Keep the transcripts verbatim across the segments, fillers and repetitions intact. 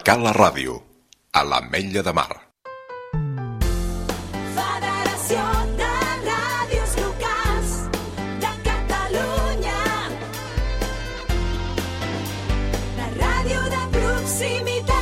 Cala Ràdio, a l'Ametlla de Mar. Federació de Ràdios Locals de Catalunya. La ràdio de proximitat.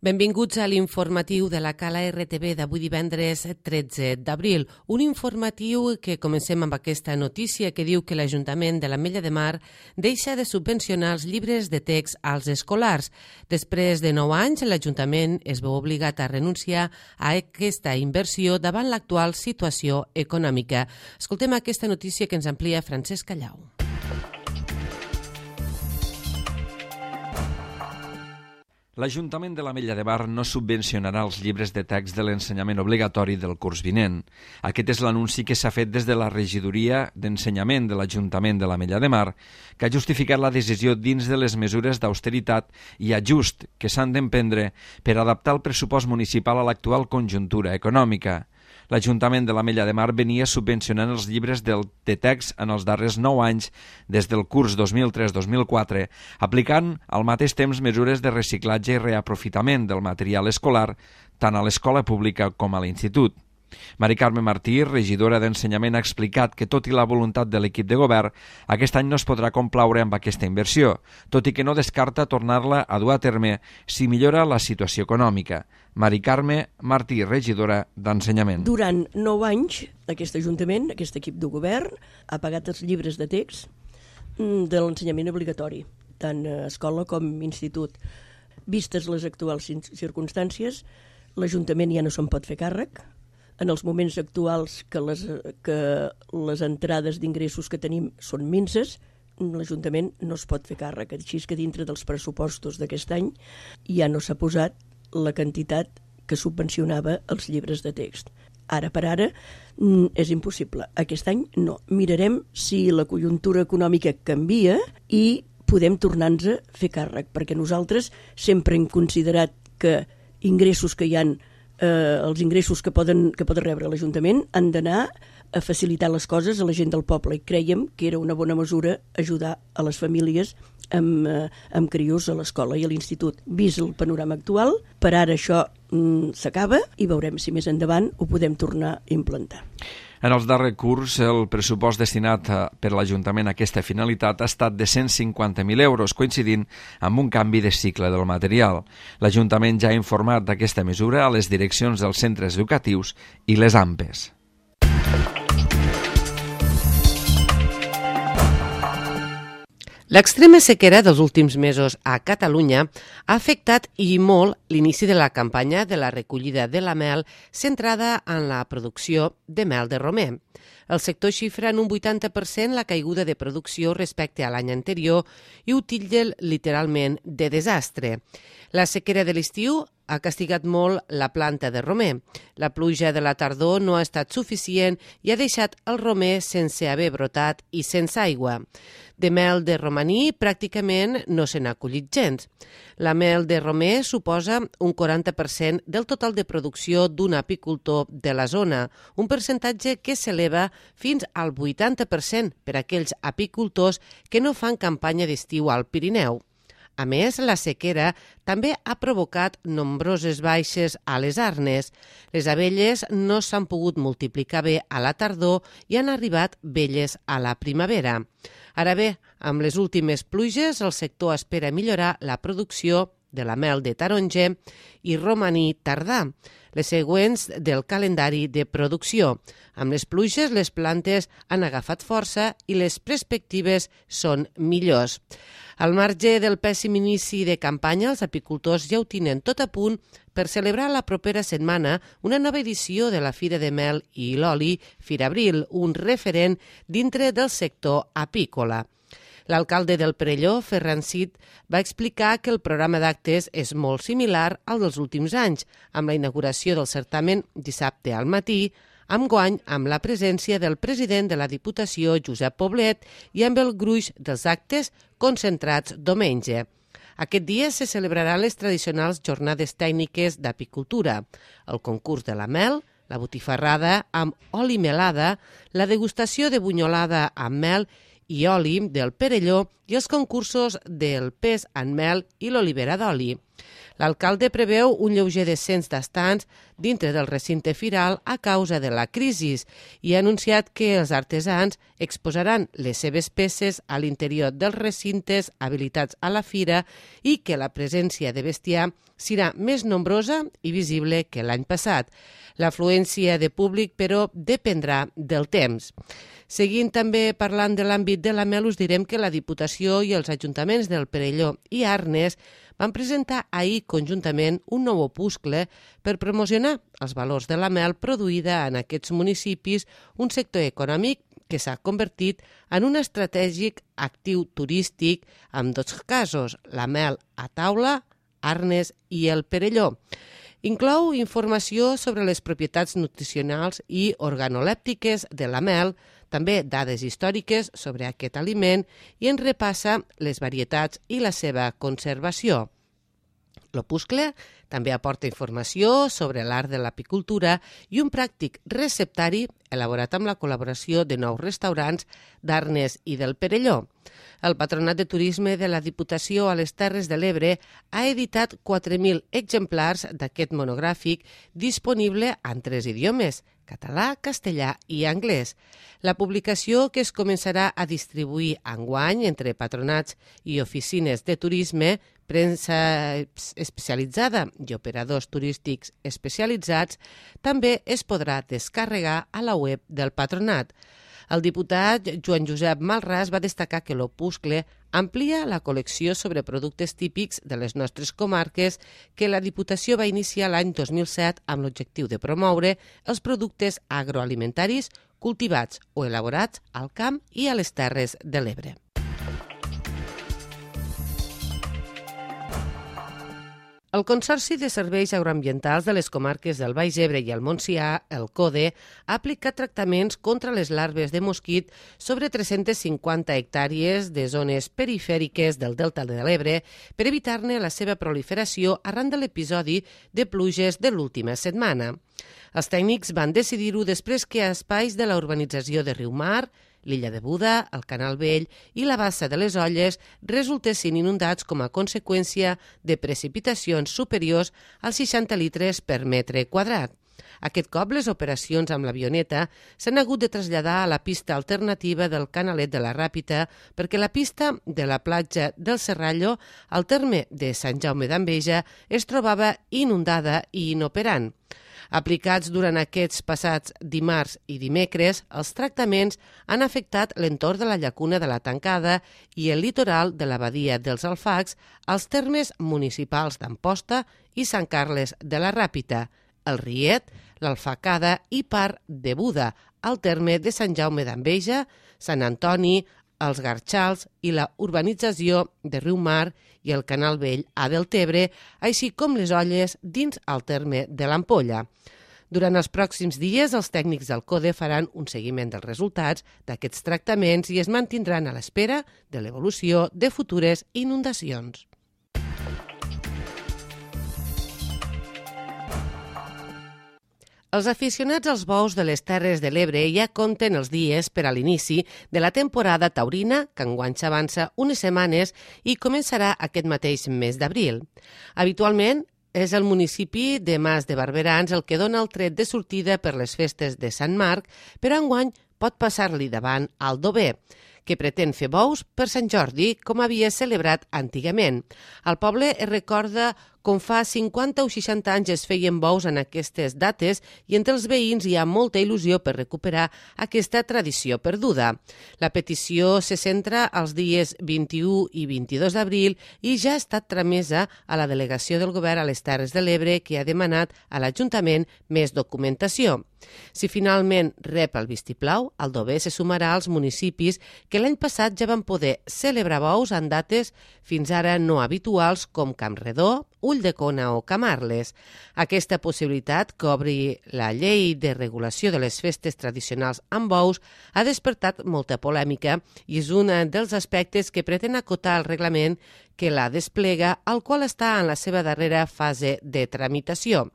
Benvinguts a l'informatiu de la Cala R T V d'avui divendres tretze d'abril. Un informatiu que comencem amb aquesta notícia que diu que l'Ajuntament de l'Ametlla de Mar deixa de subvencionar els llibres de text als escolars. Després de nou anys, l'Ajuntament es veu obligat a renunciar a aquesta inversió davant l'actual situació econòmica. Escoltem aquesta notícia que ens amplia Francesc Callau. L'Ajuntament de l'Ametlla de Mar no subvencionarà els llibres de text de l'ensenyament obligatori del curs vinent. Aquest és l'anunci que s'ha fet des de la regidoria d'ensenyament de l'Ajuntament de l'Ametlla de Mar, que ha justificat la decisió dins de les mesures d'austeritat i ajust que s'han d'emprendre per adaptar el pressupost municipal a l'actual conjuntura econòmica. L'Ajuntament de l'Ametlla de Mar venia subvencionant els llibres de text en els darrers nou anys des del curs dos mil tres dos mil quatre, aplicant al mateix temps mesures de reciclatge i reaprofitament del material escolar tant a l'escola pública com a l'institut. Mari Carme Martí, regidora d'Ensenyament, ha explicat que, tot i la voluntat de l'equip de govern, aquest any no es podrà complaure amb aquesta inversió, tot i que no descarta tornar-la a dur a terme si millora la situació econòmica. Mari Carme Martí, regidora d'Ensenyament. Durant nou anys, aquest Ajuntament, aquest equip de govern, ha pagat els llibres de text de l'ensenyament obligatori, tant a escola com a institut. Vistes les actuals circumstàncies, l'Ajuntament ja no se'n pot fer càrrec. En els moments actuals que les, que les entrades d'ingressos que tenim són minses, l'Ajuntament no es pot fer càrrec. Així que dintre dels pressupostos d'aquest any ja no s'ha posat la quantitat que subvencionava els llibres de text. Ara per ara és impossible. Aquest any no. Mirarem si la conjuntura econòmica canvia i podem tornar-nos a fer càrrec, perquè nosaltres sempre hem considerat que ingressos que hi ha Eh, els ingressos que poden, que poden rebre l'Ajuntament han d'anar a facilitar les coses a la gent del poble i creiem que era una bona mesura ajudar a les famílies amb, eh, amb crios a l'escola i a l'institut. Vist el panorama actual, per ara això mm, s'acaba i veurem si més endavant ho podem tornar a implantar. En els darrers curs, el pressupost destinat per l'Ajuntament a aquesta finalitat ha estat de cent cinquanta mil euros, coincidint amb un canvi de cicle del material. L'Ajuntament ja ha informat d'aquesta mesura a les direccions dels centres educatius i les A M P Es. L'extrema sequera dels últims mesos a Catalunya ha afectat i molt l'inici de la campanya de la recollida de la mel centrada en la producció de mel de romer. El sector xifra en un vuitanta per cent la caiguda de producció respecte a l'any anterior i ho titlla literalment de desastre. La sequera de l'estiu ha castigat molt la planta de romer. La pluja de la tardor no ha estat suficient i ha deixat el romer sense haver brotat i sense aigua. De mel de romaní pràcticament no se n'ha collit gens. La mel de romer suposa un quaranta per cent del total de producció d'un apicultor de la zona, un percentatge que s'eleva fins al vuitanta per cent per a aquells apicultors que no fan campanya d'estiu al Pirineu. A més, la sequera també ha provocat nombroses baixes a les arnes. Les abelles no s'han pogut multiplicar bé a la tardor i han arribat velles a la primavera. Ara bé, amb les últimes pluges, el sector espera millorar la producció de la mel de taronja i romaní tardà, les següents del calendari de producció. Amb les pluges, les plantes han agafat força i les perspectives són millors. Al marge del pèssim inici de campanya, els apicultors ja ho tenen tot a punt per celebrar la propera setmana una nova edició de la Fira de Mel i l'Oli Firabril, un referent dintre del sector apícola. L'alcalde del Perelló, Ferran Cid, va explicar que el programa d'actes és molt similar al dels últims anys, amb la inauguració del certamen dissabte al matí, enguany amb la presència del president de la Diputació, Josep Poblet, i amb el gruix dels actes concentrats diumenge. Aquest dia se celebraran les tradicionals jornades tècniques d'apicultura, el concurs de la mel, la botifarrada amb oli melada, la degustació de bunyolada amb mel i oli del Perelló i els concursos del pes en mel i l'olivera d'oli. L'alcalde preveu un lleuger descens d'estants dintre del recinte firal a causa de la crisi i ha anunciat que els artesans exposaran les seves peces a l'interior dels recintes habilitats a la fira i que la presència de bestiar serà més nombrosa i visible que l'any passat. L'afluència de públic, però, dependrà del temps. Seguint també parlant de l'àmbit de la mel, us direm que la Diputació i els ajuntaments del Perelló i Arnes van presentar ahir conjuntament un nou opuscle per promocionar els valors de la mel produïda en aquests municipis, un sector econòmic que s'ha convertit en un estratègic actiu turístic en dos casos, la mel a taula, Arnes i el Perelló. Inclou informació sobre les propietats nutricionals i organolèptiques de la mel, també dades històriques sobre aquest aliment i en repassa les varietats i la seva conservació. L'opuscle també aporta informació sobre l'art de l'apicultura i un pràctic receptari elaborat amb la col·laboració de nous restaurants d'Arnes i del Perelló. El Patronat de Turisme de la Diputació a les Terres de l'Ebre ha editat quatre mil exemplars d'aquest monogràfic disponible en tres idiomes, català, castellà i anglès. La publicació, que es començarà a distribuir enguany entre patronats i oficines de turisme, premsa especialitzada i operadors turístics especialitzats, també es podrà descarregar a la web del patronat. El diputat Joan Josep Malràs va destacar que l'opuscle amplia la col·lecció sobre productes típics de les nostres comarques que la Diputació va iniciar l'any dos mil set amb l'objectiu de promoure els productes agroalimentaris cultivats o elaborats al camp i a les Terres de l'Ebre. El Consorci de Serveis Agroambientals de les comarques del Baix Ebre i el Montsià, el CODE, ha aplicat tractaments contra les larves de mosquit sobre tres-centes cinquanta hectàrees de zones perifèriques del Delta de l'Ebre per evitar-ne la seva proliferació arran de l'episodi de pluges de l'última setmana. Els tècnics van decidir-ho després que a espais de la urbanització de Riumar, l'illa de Buda, el Canal Vell i la bassa de les Olles resultessin inundats com a conseqüència de precipitacions superiors als seixanta litres per metre quadrat. Aquest cop, les operacions amb l'avioneta s'han hagut de traslladar a la pista alternativa del Canalet de la Ràpita perquè la pista de la platja del Serrallo, al terme de Sant Jaume d'Enveja, es trobava inundada i inoperant. Aplicats durant aquests passats dimarts i dimecres, els tractaments han afectat l'entorn de la llacuna de la Tancada i el litoral de la badia dels Alfacs, als termes municipals d'Amposta i Sant Carles de la Ràpita, el Riet, l'Alfacada i part de Buda, al terme de Sant Jaume d'Enveja, Sant Antoni, els Garxals i la urbanització de Riumar i el Canal Vell a Deltebre, així com les Olles dins el terme de l'Ampolla. Durant els pròxims dies, els tècnics del CODE faran un seguiment dels resultats d'aquests tractaments i es mantindran a l'espera de l'evolució de futures inundacions. Els aficionats als bous de les Terres de l'Ebre ja compten els dies per a l'inici de la temporada taurina, que enguany s'avança unes setmanes i començarà aquest mateix mes d'abril. Habitualment, és el municipi de Mas de Barberans el que dona el tret de sortida per les festes de Sant Marc, però enguany pot passar-li davant al Dober, que pretén fer bous per Sant Jordi, com havia celebrat antigament. El poble es recorda com fa cinquanta o seixanta anys es feien bous en aquestes dates i entre els veïns hi ha molta il·lusió per recuperar aquesta tradició perduda. La petició se centra als dies vint-i-u i vint-i-dos d'abril i ja ha estat tramesa a la delegació del govern a les Terres de l'Ebre, que ha demanat a l'Ajuntament més documentació. Si finalment rep el vistiplau, el Dober se sumarà als municipis que l'any passat ja van poder celebrar bous en dates fins ara no habituals com Campredó, Ulldecona o Camarles. Aquesta possibilitat, que obri la llei de regulació de les festes tradicionals amb bous, ha despertat molta polèmica i és un dels aspectes que pretén acotar el reglament que la desplega, el qual està en la seva darrera fase de tramitació.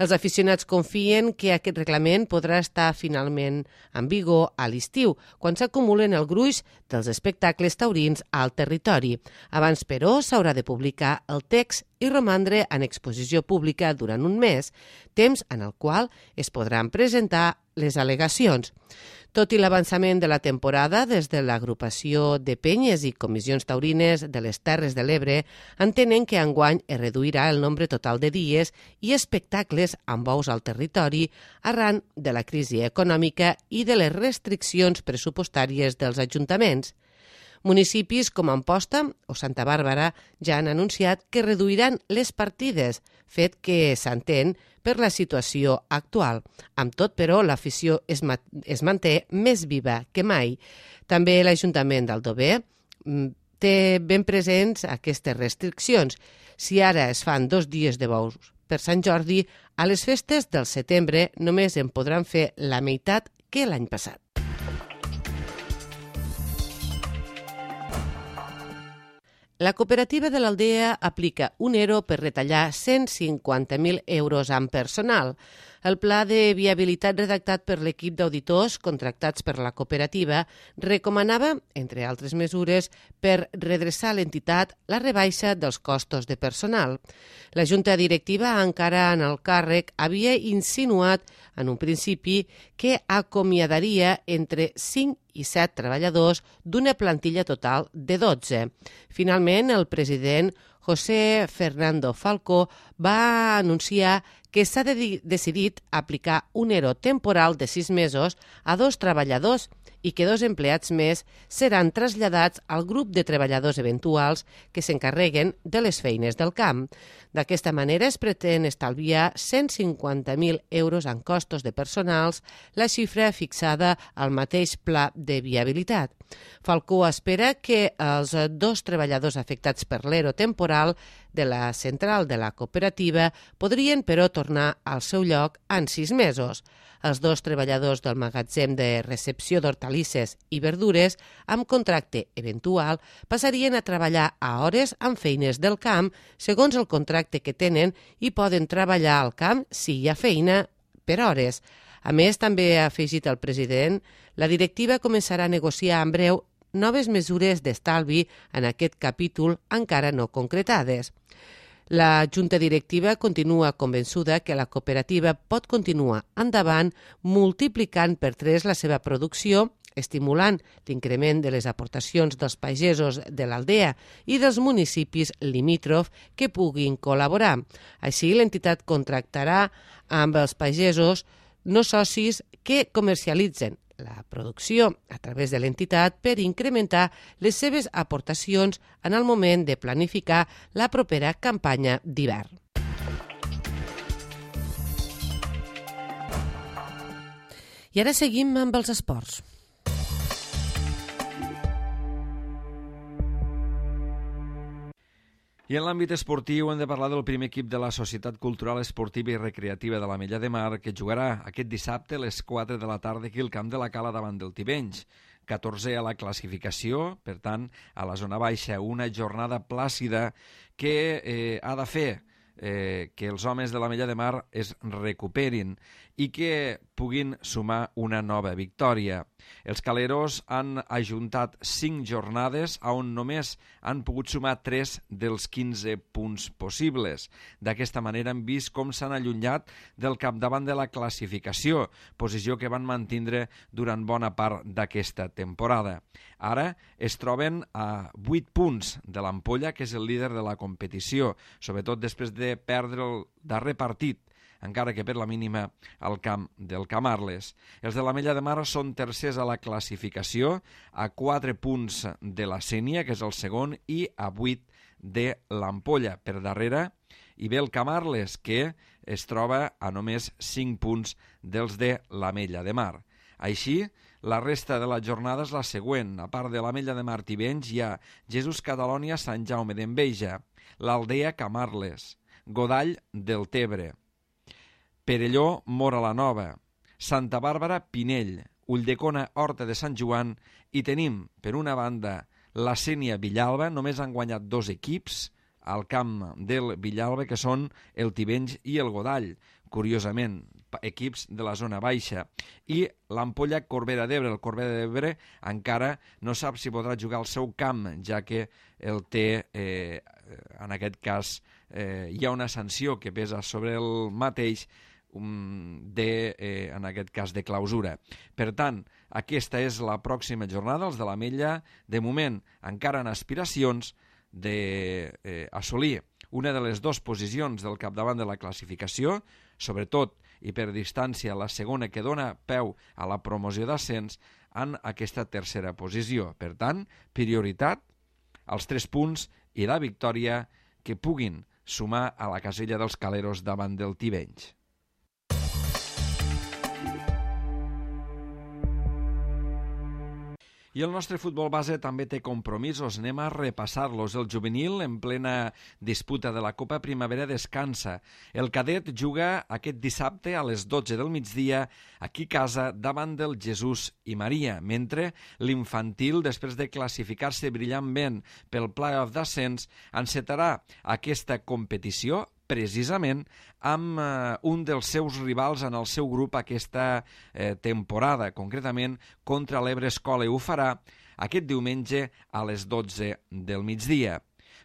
Els aficionats confien que aquest reglament podrà estar finalment en vigor a l'estiu, quan s'acumulen el gruix dels espectacles taurins al territori. Abans, però, s'haurà de publicar el text i romandre en exposició pública durant un mes, temps en el qual es podran presentar les al·legacions. Tot i l'avançament de la temporada, des de l'agrupació de penyes i comissions taurines de les Terres de l'Ebre entenen que enguany es reduirà el nombre total de dies i espectacles amb bous al territori arran de la crisi econòmica i de les restriccions pressupostàries dels ajuntaments. Municipis com Amposta o Santa Bàrbara ja han anunciat que reduiran les partides, fet que s'entén per la situació actual. Amb tot, però, l'afició es, ma es manté més viva que mai. També l'Ajuntament d'Aldover té ben presents aquestes restriccions. Si ara es fan dos dies de bous per Sant Jordi, a les festes del setembre només en podran fer la meitat que l'any passat. La cooperativa de l'Aldea aplica un E R O per retallar cent cinquanta mil euros en personal. El pla de viabilitat redactat per l'equip d'auditors contractats per la cooperativa recomanava, entre altres mesures, per redreçar l'entitat la rebaixa dels costos de personal. La Junta Directiva, encara en el càrrec, havia insinuat en un principi que acomiadaria entre cinc i set treballadors d'una plantilla total de dotze. Finalment, el president José Fernando Falcó va anunciar que s'ha de decidit aplicar un E R O temporal de sis mesos a dos treballadors i que dos empleats més seran traslladats al grup de treballadors eventuals que s'encarreguen de les feines del camp. D'aquesta manera es pretén estalviar cent cinquanta mil euros en costos de personals, la xifra fixada al mateix pla de viabilitat. Falcó espera que els dos treballadors afectats per l'E R O temporal de la central de la cooperativa podrien, però, tornar al seu lloc en sis mesos. Els dos treballadors del magatzem de recepció d'hortalisses i verdures amb contracte eventual passarien a treballar a hores amb feines del camp segons el contracte que tenen i poden treballar al camp si hi ha feina per hores. A més, també ha afegit el president, la directiva començarà a negociar en breu noves mesures d'estalvi en aquest capítol encara no concretades. La Junta Directiva continua convençuda que la cooperativa pot continuar endavant multiplicant per tres la seva producció, estimulant l'increment de les aportacions dels pagesos de l'Aldea i dels municipis limítrof que puguin col·laborar. Així, l'entitat contractarà amb els pagesos no socis que comercialitzen la producció a través de l'entitat per incrementar les seves aportacions en el moment de planificar la propera campanya d'hivern. I ara seguim amb els esports. I en l'àmbit esportiu hem de parlar del primer equip de la Societat Cultural Esportiva i Recreativa de l'Ametlla de Mar, que jugarà aquest dissabte a les quatre de la tarda aquí al camp de la Cala davant del Tivenys. catorzè a la classificació, per tant, a la zona baixa, una jornada plàcida que eh, ha de fer eh, que els homes de l'Ametlla de Mar es recuperin i que puguin sumar una nova victòria. Els caleros han ajuntat cinc jornades on només han pogut sumar tres dels quinze punts possibles. D'aquesta manera hem vist com s'han allunyat del capdavant de la classificació, posició que van mantindre durant bona part d'aquesta temporada. Ara es troben a vuit punts de l'Ampolla, que és el líder de la competició, sobretot després de perdre el darrer partit, encara que per la mínima al camp del Camarles. Els de l'Ametlla de Mar són tercers a la classificació, a quatre punts de la Sénia, que és el segon, i a vuit de l'Ampolla. Per darrere hi ve el Camarles, que es troba a només cinc punts dels de l'Ametlla de Mar. Així, la resta de la jornada és la següent. A part de l'Ametlla de Mar Tivenys, hi ha Jesús Catalònia, Sant Jaume d'Enveja, l'Aldea Camarles, Godall del Tebre, Perelló, Móra la Nova, Santa Bàrbara, Pinell, Ulldecona, Horta de Sant Joan, i tenim, per una banda, la Sénia Villalba. Només han guanyat dos equips al camp del Villalba, que són el Tivenys i el Godall, curiosament, equips de la zona baixa. I l'Ampolla Corbera d'Ebre. El Corbera d'Ebre encara no sap si podrà jugar al seu camp, ja que el té, eh, en aquest cas, eh, hi ha una sanció que pesa sobre el mateix, de, eh, en aquest cas, de clausura. Per tant, aquesta és la pròxima jornada. Els de l'Ametlla, de moment, encara en aspiracions d'assolir eh, una de les dues posicions del capdavant de la classificació, sobretot i per distància la segona, que dona peu a la promoció d'ascens, en aquesta tercera posició. Per tant, prioritat als tres punts i la victòria que puguin sumar a la casella dels Caleros davant del Tivenys. I el nostre futbol base també té compromisos. Anem a repassar-los. El juvenil, en plena disputa de la Copa Primavera, descansa. El cadet juga aquest dissabte a les dotze del migdia aquí a casa davant del Jesús i Maria, mentre l'infantil, després de classificar-se brillantment pel play-off d'ascens, encetarà aquesta competició precisament amb eh, un dels seus rivals en el seu grup aquesta eh, temporada, concretament contra l'Ebre Escola, i ho farà aquest diumenge a les dotze del migdia.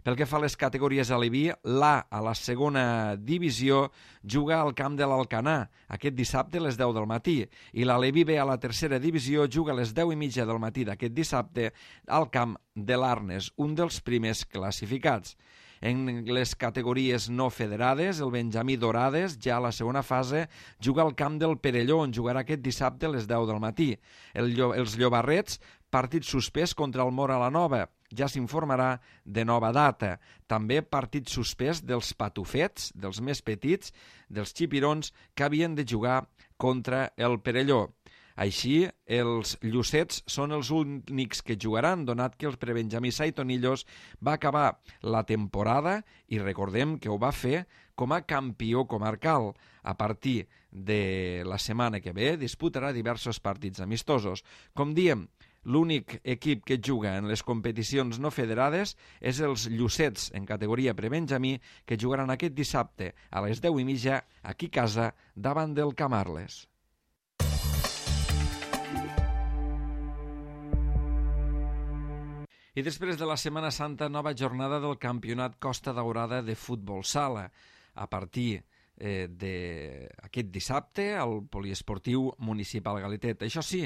Pel que fa a les categories a l'E B I, l'A a la segona divisió juga al camp de l'Alcanar aquest dissabte a les deu del matí, i la l'E B I B a la tercera divisió juga a les deu i mitja del matí d'aquest dissabte al camp de l'Arnes, un dels primers classificats. En les categories no federades, el Benjamí Dorades, ja a la segona fase, juga al camp del Perelló, on jugarà aquest dissabte a les deu del matí. El, els Llobarrets, partit suspès contra el Móra la Nova. Ja s'informarà de nova data. També partit suspès dels Patufets, dels més petits, dels xipirons, que havien de jugar contra el Perelló. Així, els Llucets són els únics que jugaran, donat que el prebenjamí Saitonillos va acabar la temporada, i recordem que ho va fer com a campió comarcal. A partir de la setmana que ve disputarà diversos partits amistosos. Com diem, l'únic equip que juga en les competicions no federades és els Llucets, en categoria prebenjamí, que jugaran aquest dissabte a les deu i mitja aquí a casa davant del Camarles. I després de la Setmana Santa, nova jornada del Campionat Costa Daurada de Futbol Sala. A partir eh, d'aquest dissabte al Poliesportiu Municipal Galitet. Això sí,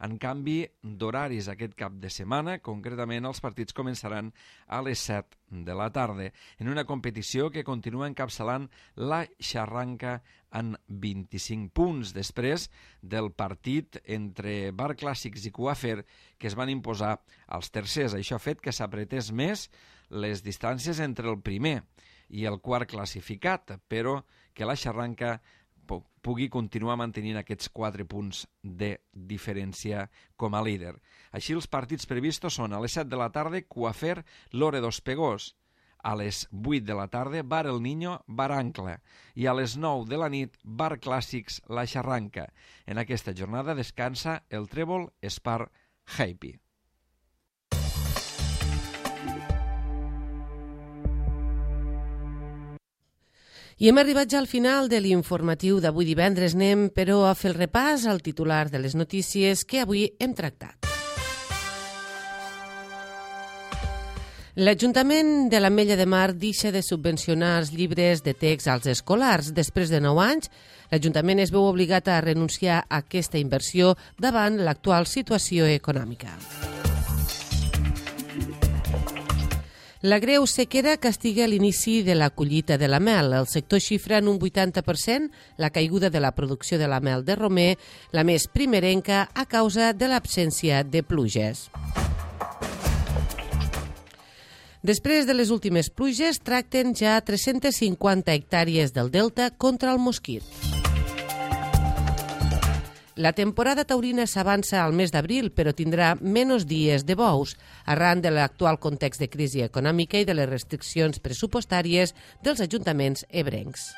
en canvi d'horaris aquest cap de setmana, concretament els partits començaran a les set de la tarda, en una competició que continua encapçalant la Xarranca en vint-i-cinc punts, després del partit entre Bar Clàssics i Coafer, que es van imposar als tercers. Això ha fet que s'apretés més les distàncies entre el primer i el quart classificat, però que la Xarranca pugui continuar mantenint aquests quatre punts de diferència com a líder. Així, els partits previstos són a les set de la tarda, Coafer, Loredo Espegós; a les vuit de la tarda, Bar El Niño, Bar Ancla; i a les nou de la nit, Bar Clàssics, La Xarranca. En aquesta jornada descansa el Trèvol Spar Happy. I hem arribat ja al final de l'informatiu d'avui divendres. Anem, però, a fer el repàs al titular de les notícies que avui hem tractat. L'Ajuntament de l'Ametlla de Mar deixa de subvencionar els llibres de text als escolars. Després de nou anys, l'Ajuntament es veu obligat a renunciar a aquesta inversió davant l'actual situació econòmica. La greu sequera castiga l'inici de la collita de la mel. El sector xifra en un vuitanta per cent la caiguda de la producció de la mel de romer, la més primerenca a causa de l'absència de pluges. Després de les últimes pluges, tracten ja tres-centes cinquanta hectàrees del delta contra el mosquit. La temporada taurina s'avança al mes d'abril, però tindrà menys dies de bous, arran de l'actual context de crisi econòmica i de les restriccions pressupostàries dels ajuntaments ebrencs.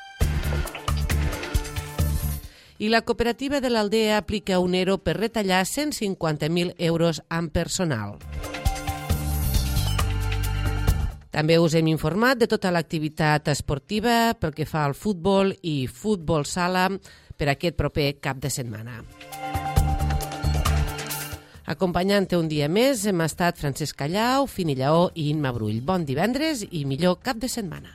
I la cooperativa de l'Aldea aplica un ERO per retallar cent cinquanta mil euros amb personal. També us hem informat de tota l'activitat esportiva pel que fa al futbol i futbol sala per aquest proper cap de setmana. Acompanyant-te un dia més hem estat Francesc Callau, Fini Lleó i Imma Brull. Bon divendres i millor cap de setmana.